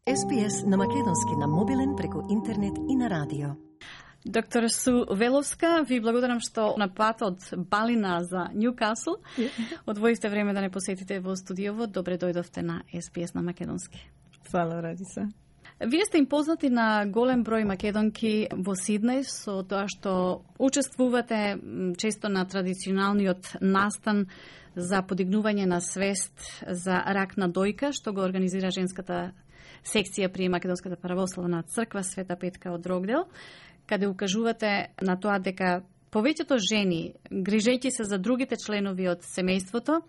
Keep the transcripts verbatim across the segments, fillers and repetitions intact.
Ес Би Ес на македонски на мобилен преку интернет и на радио. Доктор Су Веловска, ви благодарам што на пат од Балина за Ньюкасл одвоивте време да не посетите во студиово. Добре дојдовте на Ес Би Ес на македонски. Фала, Радица. Вие сте им познати на голем број македонки во Сиднеј со тоа што учествувате често на традиционалниот настан за подигнување на свест за рак на дојка, што го организира женската секција при Македонската православна црква Света Петка од Рогдел, каде укажувате на тоа дека повеќето жени, грижејќи се за другите членови од семејството,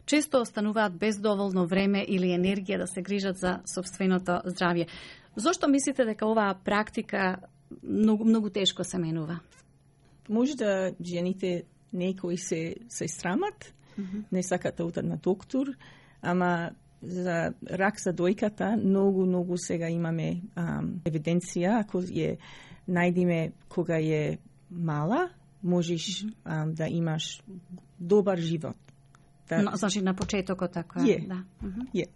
често остануваат без доволно време или енергија да се грижат за собственото здравје. Зошто мислите дека оваа практика многу, многу тешко се менува? Може да жените некои се, се срамат, mm-hmm. не сакат да одат на доктор, ама за рак за дојката многу, многу сега имаме ам, евиденција, ако ја најдиме кога е мала, можеш mm-hmm. ам, да имаш добар живот. Да... Но, значи на почетокот така е. Yeah. Да. Mm-hmm. Yeah.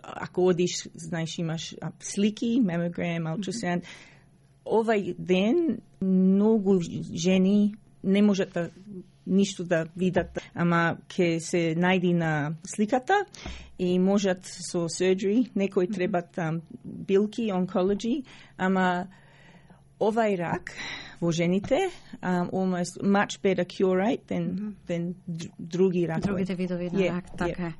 Ако одиш, знаеш, имаш а, слики, мемограм, ултрасаунд. Mm-hmm. Овај ден многу жени не можат да ништо да видат, ама ќе се најди на сликата и можат со surgery, некои требат um, билки, онкологи, ама овај рак во жените um, almost much better cure rate than, mm-hmm. than други ракови. Другите видови на yeah, рак, така yeah. е.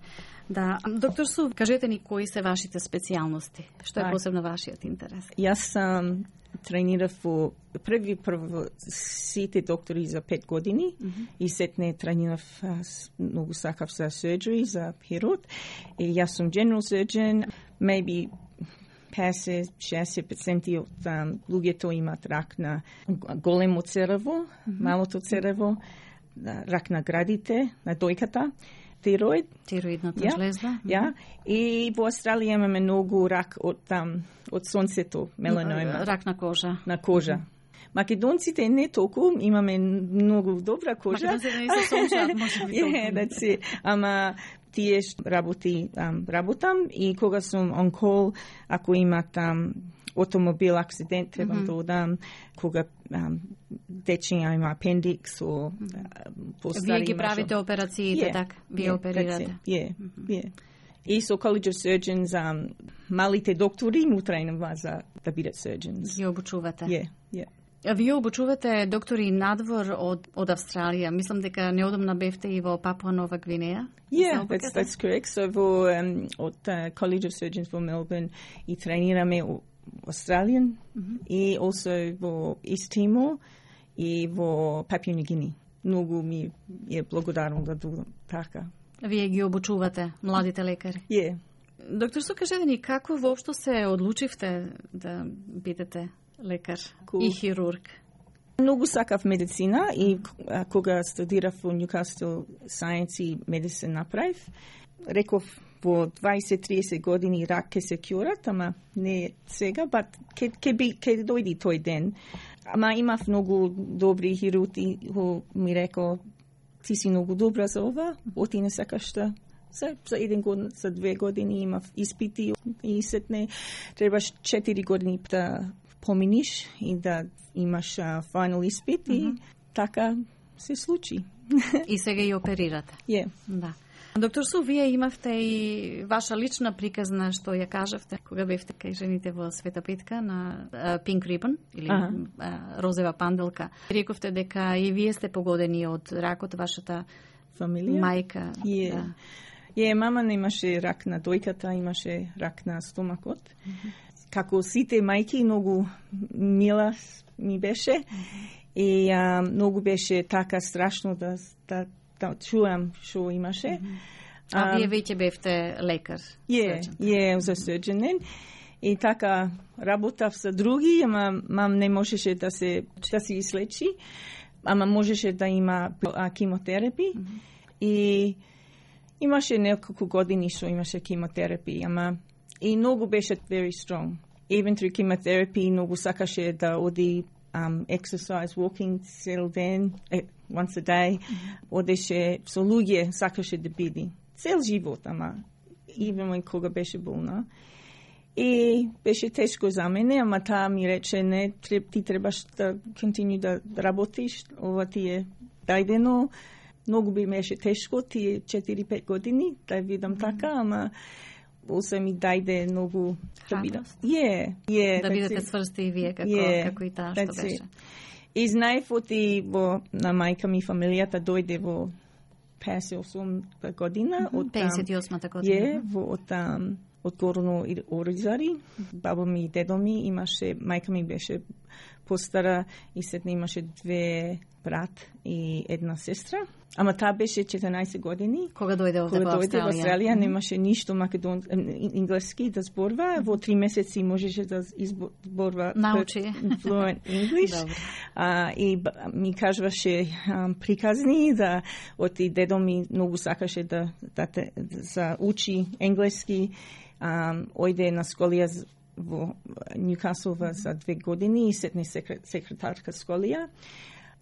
Да, доктор Су, кажете ни кои се вашите специјалности? Што е так. посебно вашиот интерес? Јас сам тренирав во први прво сите доктори за пет години mm-hmm. и сетне тренирав многу сакав за surgery, за хирург. И јас сум general surgeon, maybe петдесет до шеесет проценти од um, луѓето имат рак на големо црево, mm-hmm. малото црево, рак на градите, на дојката. Тироид. Тироидната yeah, жлезда. Ja. И во Австралија имаме многу рак од там, од сонцето, меланома. Рак на кожа. На кожа. Македонците не толку, имаме многу добра кожа. Македонците не се сончаат, може би толку. Yeah, that's it. Ама тие работи, um, работам и кога сум on call, ако имат um, автомобил акцидент, требам mm-hmm. да одам, кога um, дечиња има апендикс, о, вие ги правите операциите, yeah, така? Вие yeah, оперирате? Yeah, mm-hmm. yeah. И со College of Surgeons, um, малите доктори му тренува за да бидат surgeons. Ги обучувате? Yeah, yeah. А вие обучувате доктори надвор од, од Австралија. Мислам дека неодамна бевте и во Папуа Нова Гвинеја. Yeah, that's, that's correct. So во um, од uh, College of Surgeons во Melbourne и тренираме Australian mm-hmm. и also во East Timor и во Papua New Guinea. Многу ми е благодарно да додам така. Вие ги обучувате, младите лекари? Yeah. Доктор Су, кажете ни, како воопшто се одлучивте да бидете лекар cool. и хирург? Многу сакав медицина и кога студирав во Newcastle Science и Medicine направив, реков во дваесет до триесет години рак ке се кјурат, ама не сега, but ке, ке, би, ке дојди тој ден. Ама имав многу добри хирурги, ми рекол, ти си многу добра за ова, оти не сакаш да за, за еден год, за две години имав испити и сетне требаш четири години да поминиш и да имаш uh, final испит mm-hmm. и така се случи. И сега и оперирате. Yeah. Да. Доктор Су, вие имавте и ваша лична приказна што ја кажавте кога бевте кај жените во Света Петка на uh, Pink Ribbon или uh-huh. uh, розова панделка. Рековте дека и вие сте погодени од ракот, вашата фамилија, мајка. Yeah. Да. Е, мама немаше рак на дојката, имаше рак на стомакот. Mm-hmm. Како сите мајки, многу мила ми беше mm-hmm. и а, многу беше така страшно да, да, да чуам што имаше. Mm-hmm. А, а вие веќе бевте лекар? Е, е, за surgeon. И така работав со други, ама мам не можеше да се да се излечи, ама можеше да има кимотерапи. Mm-hmm. И имаше неколку години што имаше кимотерапи, ама и многу беше very strong. Even through chemotherapy, многу сакаше да оди um, exercise, walking цел ден, once a day. Mm-hmm. Одеше со луѓе, сакаше да биде. Цел живот, ама even кога беше болна. И беше тешко за мене, ама таа ми рече, не, ти требаш да континю да работиш, ова ти е дајдено. Многу би беше тешко, тие четири-пет години, да видам mm-hmm. така, ама осе ми дајде многу да бидам. Yeah, yeah, да бидете цврсти и вие, како, yeah, како и таа што беше. И знаев оти во, на мајка ми фамилијата дојде во песет и осум година. Mm-hmm. Од песет и осмата година. Yeah, во, од там, од Горно Оризари. Баба ми и дедо ми имаше, мајка ми беше постара и сетне имаше две брат и една сестра. Ама таа беше четиринаесет години. Кога дојде овде во Австралија? Кога дојде во Австралија, mm-hmm. немаше ништо македон инглески да зборува. Mm-hmm. Во три месеци можеше да изборува научи fluent English. А, и ми кажуваше um, приказни да оти дедо ми многу сакаше да да те за учи енглески. Um, ојде на сколија во Ньюкасл за две години и сетне секретарка сколија.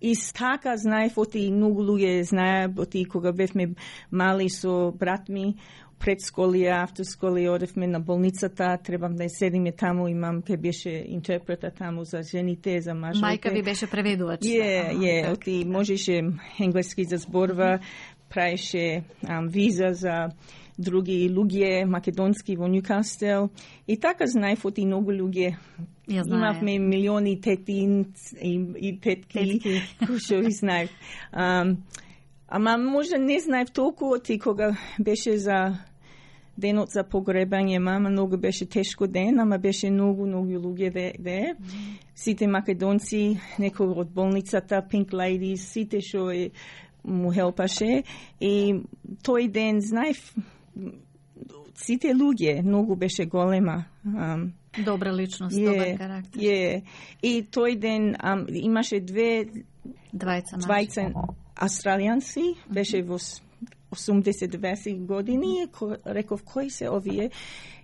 И така знаев, оти многу луѓе знаев, оти кога бевме мали со брат ми, пред сколија, автосколија, одевме на болницата, требам да седиме таму, имам, ке беше интерпрета таму за жените, за мажите. Мајка ви беше преведувач. Е, е, оти можеше енглески да зборува, праеше um, виза за други луѓе македонски во Ньюкасл. И така знаев оти многу луѓе. Имавме милиони тети и, и тетки, кои што ги знаев. Um, ама може не знаев толку оти кога беше за денот за погребање мама, многу беше тешко ден, ама беше многу, многу луѓе де. де. Mm-hmm. Сите македонци, некои од болницата, Pink Ladies, сите што му хелпаше. И тој ден знаев сите луѓе, многу беше голема. Um, Добра личност, yeah, добар карактер. Yeah. И тој ден um, имаше две двајца, двајца австралијанци, беше во осумдесет-девесет години, ко, реков кои се овие,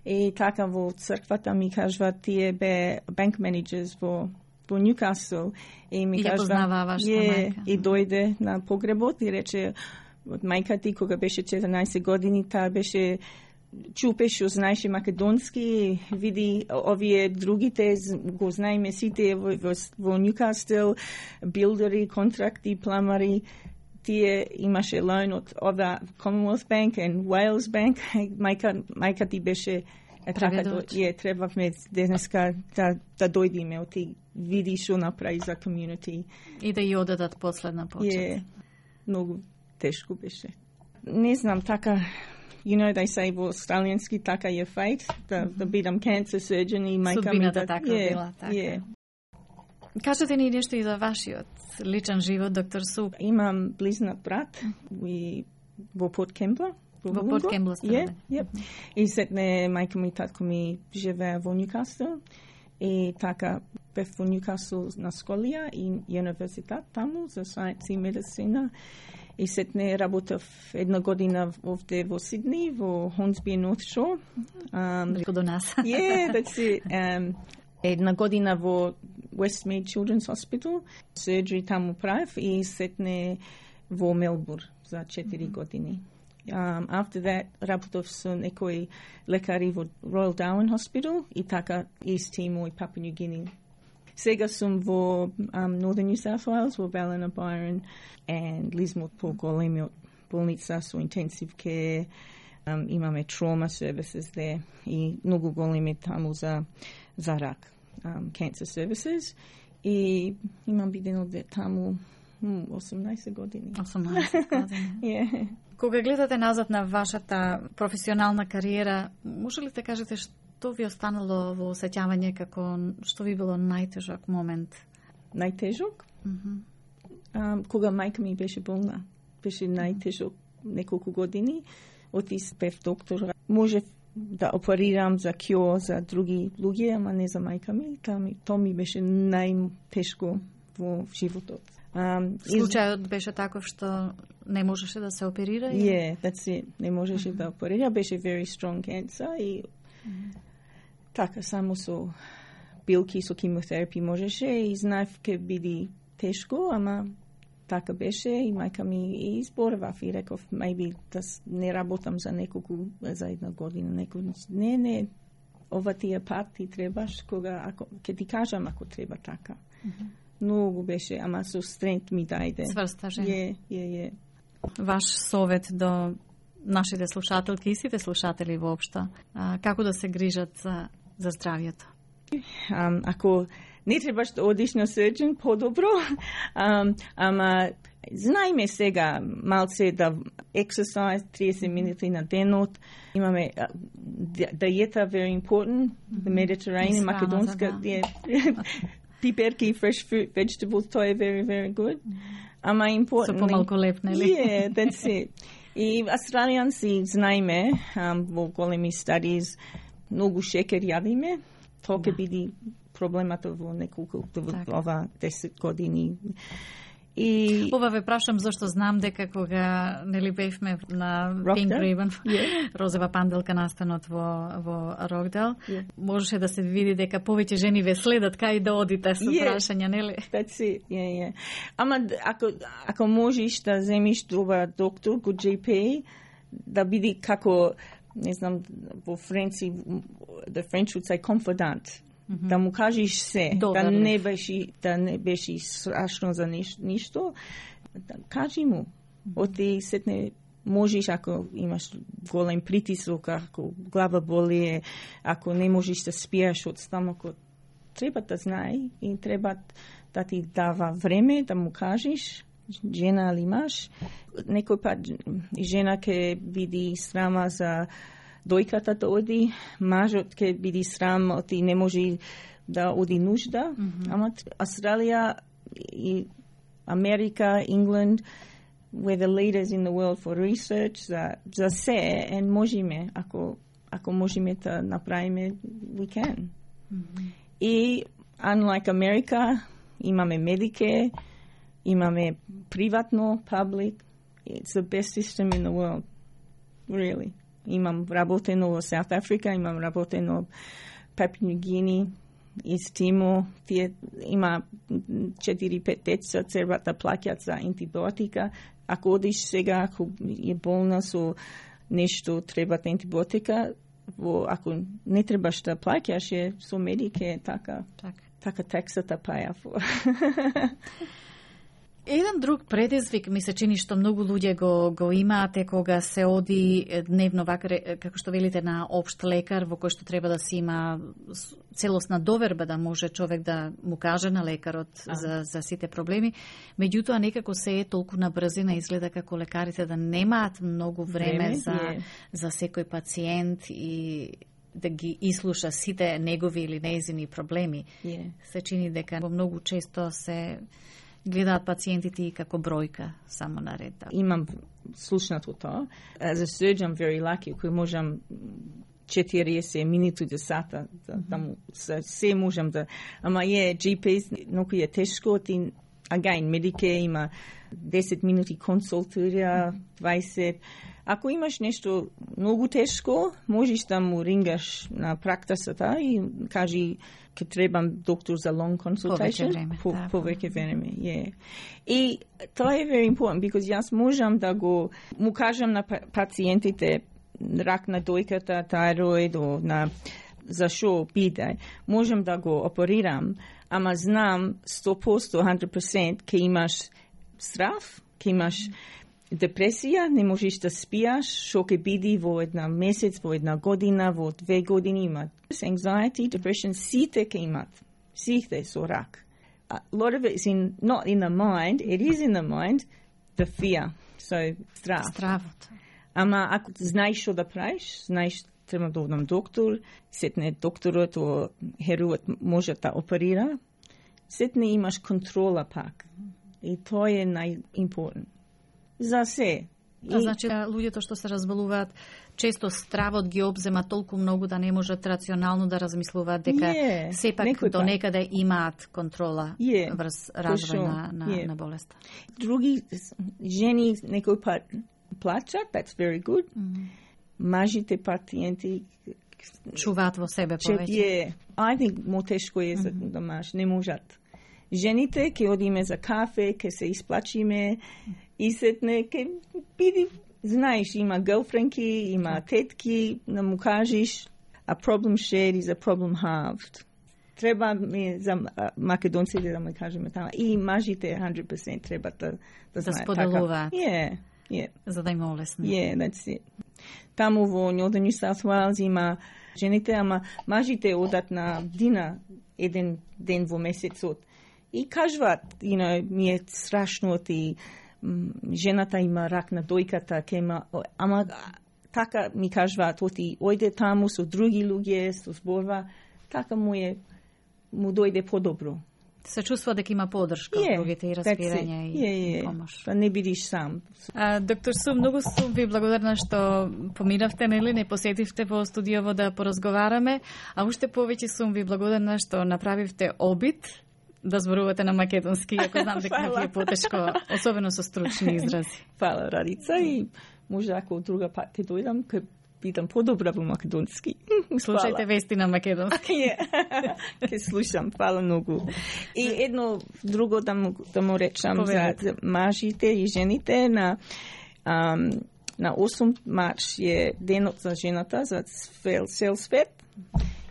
и така во црквата ми кажува тие бе банк менеджерс во во Ньюкасл и ми и кажува познава вашата yeah, мајка. И дојде на погребот и рече од мајка ти кога беше четиринаесет години, таа беше чупе што знаеше македонски, види овие другите, го знаеме сите во, во, во Ньюкасл, билдери, контракти, пламари, тие имаше лоан од ова Commonwealth Bank и Wales Bank, мајка, мајка ти беше така, е, требавме денеска да, да дојдеме, оти види што направи за community. И да ја одадат последна почет. Е, многу тешко беше. Не знам, така, you know, they say во австралијански така е fate, да, да бидам cancer surgeon и мајка ми да... така yeah, била, така. Yeah. Кажете ни нешто и за вашиот личен живот, доктор Суп. Имам близнат брат и во Порт Кембла. Во Порт Кембла сте. Yeah, yep. И сетне мајка ми и татко ми живеа во Ньюкасл. И така бев во Ньюкасл на сколија и универзитет таму за science и медицина. И сетне работев една година овде во Сидни, во Hornsby North Shore. Um, Близко до нас. Yeah, that's it. Um, една година во Westmead Children's Hospital. Surgery таму правев и сетне во Мелбур за четири mm-hmm. години. Um, after that, работев со некои лекари во Royal Darwin Hospital и така East Timor и Papua New Guinea. Сега сум во um, Northern New South Wales, во Ballina Byron and Lismore по големиот болница со intensive care. Um, имаме trauma services there и многу големи таму за, за рак, um, cancer services. И имам бидено таму осумнаесет години. осумнаесет години. Yeah. Кога гледате назад на вашата професионална кариера, може ли да кажете што ви останало во осеќавање како што ви било најтежок момент? Најтежок? Mm-hmm. Um, кога мајка ми беше болна, беше најтежок неколку години. Отис бев доктор. Можев да оперирам за кјо за други луѓе, ама не за мајка ми. Тоа ми, то ми беше најтешко во животот. Um, Случајот беше таков што не можеше да се оперира? Yeah, that's it. Не можеше mm-hmm. да оперира. Беше very strong cancer и mm-hmm. така само со билки, со химиотерапи можеше и знаев ке биде тешко, ама така беше и мајка ми и изборував и реков, maybe да не работам за неколку, за една година, неколку. Не, не, ова ти е пат, ти требаш, кога, ако, ке ти кажам ако треба така. Mm-hmm. Многу беше, ама со стрент ми дајде. Цврста жена. Е, е, е. Ваш совет до нашите слушателки и сите слушатели воопшто, а, како да се грижат за, за здравието? Um, ако не требаш да одиш на surgeon, по-добро. Um, ама знаеме сега малце да exercise тридесет минути на денот. Имаме uh, диета very important. The Mediterranean, македонска диета. Пиперки, fresh fruit, vegetables, тоа е very, very good. Ама important. Со помалку леп, нели? Yeah, that's it. И австралијанци знаеме um, во големи studies многу шекер јадиме. Тоа ќе биде проблемата во неколку во ова десет години. И ова ве прашам зашто знам дека кога нели бевме на Pink Ribbon, yeah. розова панделка настанот во во Рокдел, yeah. можеше да се види дека повеќе жени ве следат кај да одите со yeah. прашања, нели? That's it. Yeah, yeah. Ама ако ако можеш да земиш добар доктор, go G P, да биде како не знам во Френци, the French would say confidant. Mm-hmm. Да му кажеш се, Добар, да не беше да не беше страшно за ништо, да кажи му. Mm-hmm. Оти сетне можеш ако имаш голем притисок, ако глава боли, ако не можеш да спиеш од стомакот, треба да знае и треба да ти дава време да му кажеш, жена или маж. Некој пат жена ќе биде срама за дојката да оди, мажот ќе биде срам, оти не може да оди нужда. Mm-hmm. Ама Австралија и Америка, England, we're the leaders in the world for research, за, за се, and можеме, ако, ако можеме да направиме, we can. Mm-hmm. И, unlike America, имаме Medicare, имаме приватно, public, it's the best system in the world, really. Имам работено во South Africa, имам работено Papua New Guinea, East Timor, тие има четири-пет деца треба да плаќат за антибиотика. Ако одиш сега, ако е болна со нешто, треба антибиотика, во, ако не требаш да плаќаш, е со медике, така, так. така таксата паја. Еден друг предизвик ми се чини што многу луѓе го го имаат е кога се оди дневно вака како што велите на општ лекар во кој што треба да се има целосна доверба да може човек да му каже на лекарот а. за за сите проблеми. Меѓутоа некако се е толку на брзина изгледа како лекарите да немаат многу време, време за yeah. за секој пациент и да ги ислуша сите негови или нејзини проблеми. Yeah. Се чини дека многу често се гледаат пациентите и како бројка само на ред. Имам слушнато тоа. As a surgeon, very lucky, кој можам четириесет минути до сата, да, mm-hmm. да му, се можам да... Ама е, G P, многу е тешко, ти, again, Medicare има десет минути консултира, дваесет. Ако имаш нешто многу тешко, можеш да му рингаш на практиката и кажи ке требам доктор за long consultation. Повеќе време. По, да, повеќе време, yeah. И тоа е very important, because јас можам да го му кажам на пациентите рак на дојката, тајроид, на за шо биде, можам да го оперирам, ама знам сто проценти, one hundred percent ке имаш страв, ке имаш депресија, не можеш да спијаш, шо ќе биде во една месец, во една година, во две години имат. Anxiety, depression, сите ќе имат. Сите со рак. A lot of it is in, not in the mind, it is in the mind, the fear. So, страв. Стравот. Ама ако знаеш што да правиш, знаеш треба да одам доктор, сетне докторот о херувот може да оперира, сетне имаш контрола пак. И тоа е најимпортно. За се. А и... значи, луѓето што се разболуваат, често стравот ги обзема толку многу да не можат рационално да размислуваат дека yeah, сепак до некаде имаат контрола yeah, врз развој на, на, yeah. на болеста. Други жени некој пат плачат, that's very good. Mm-hmm. Мажите пациенти чуваат во себе повеќе. Yeah. I think мо тешко е за mm-hmm. да маж, не можат. Жените ќе одиме за кафе, ќе се исплачиме и сетне ќе биде, знаеш, има гълфренки, има тетки, да му кажеш, a problem shared is a problem halved. Треба ми за македонците да ме кажеме тама. И мажите one hundred percent треба да, да знаат. Да споделуваат. Yeah, yeah. За да им олесни. Yeah, that's it. Таму во Northern New South Wales има жените, ама мажите одат на дина еден ден во месецот. И кажуваат, you know, ми е страшно и жената има рак на дојката, кема, ама така ми кажуваат, оти ојде таму со други луѓе, со зборва, така му е, му дојде подобро. Се чувства дека има поддршка од yeah, другите и разбирање и yeah, yeah. помош. Па не бидиш сам. А, доктор Сум, многу сум ви благодарна што поминавте, нели, не посетивте во студиово да поразговараме, а уште повеќе сум ви благодарна што направивте обид да зборувате на македонски, ако знам дека ви е потешко, особено со стручни изрази. Фала, Радица, и може ако од друга пат ќе дојдам, ќе бидам подобра во македонски. Слушајте вести на македонски. Ќе слушам, фала многу. И едно друго да му, да му речам за, за мажите и жените на um, на осум март е денот за жената, за цел свет.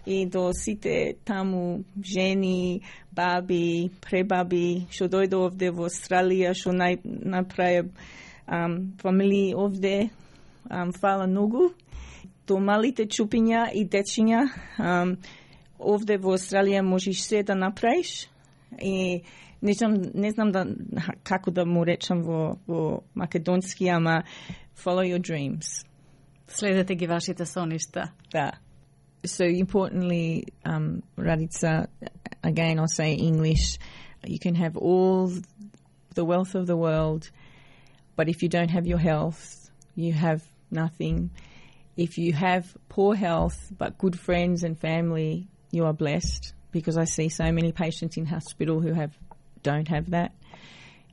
И до сите таму жени, баби, пребаби, што дојде овде во Австралија, што нај, направи um, фамилии овде, um, фала многу. До малите чупиња и дечиња, um, овде во Австралија можеш се да направиш. И не знам, не знам да, како да му речам во, во македонски, ама follow your dreams. Следете ги вашите соништа. Да. So importantly, um, Raditza, again I'll say English, you can have all the wealth of the world, but if you don't have your health, you have nothing. If you have poor health but good friends and family, you are blessed, because I see so many patients in hospital who have don't have that.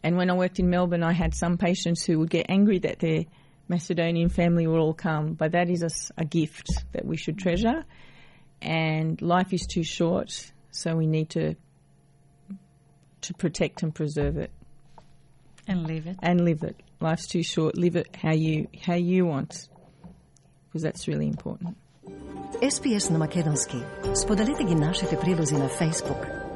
And when I worked in Melbourne, I had some patients who would get angry that their Macedonian family will all come, but that is a, a gift that we should treasure, and life is too short, so we need to to protect and preserve it and live it and live it. Life's too short. Live it how you how you want, because that's really important. Ес Пи Ес на македонски. Споделете ги нашите прилози на Facebook.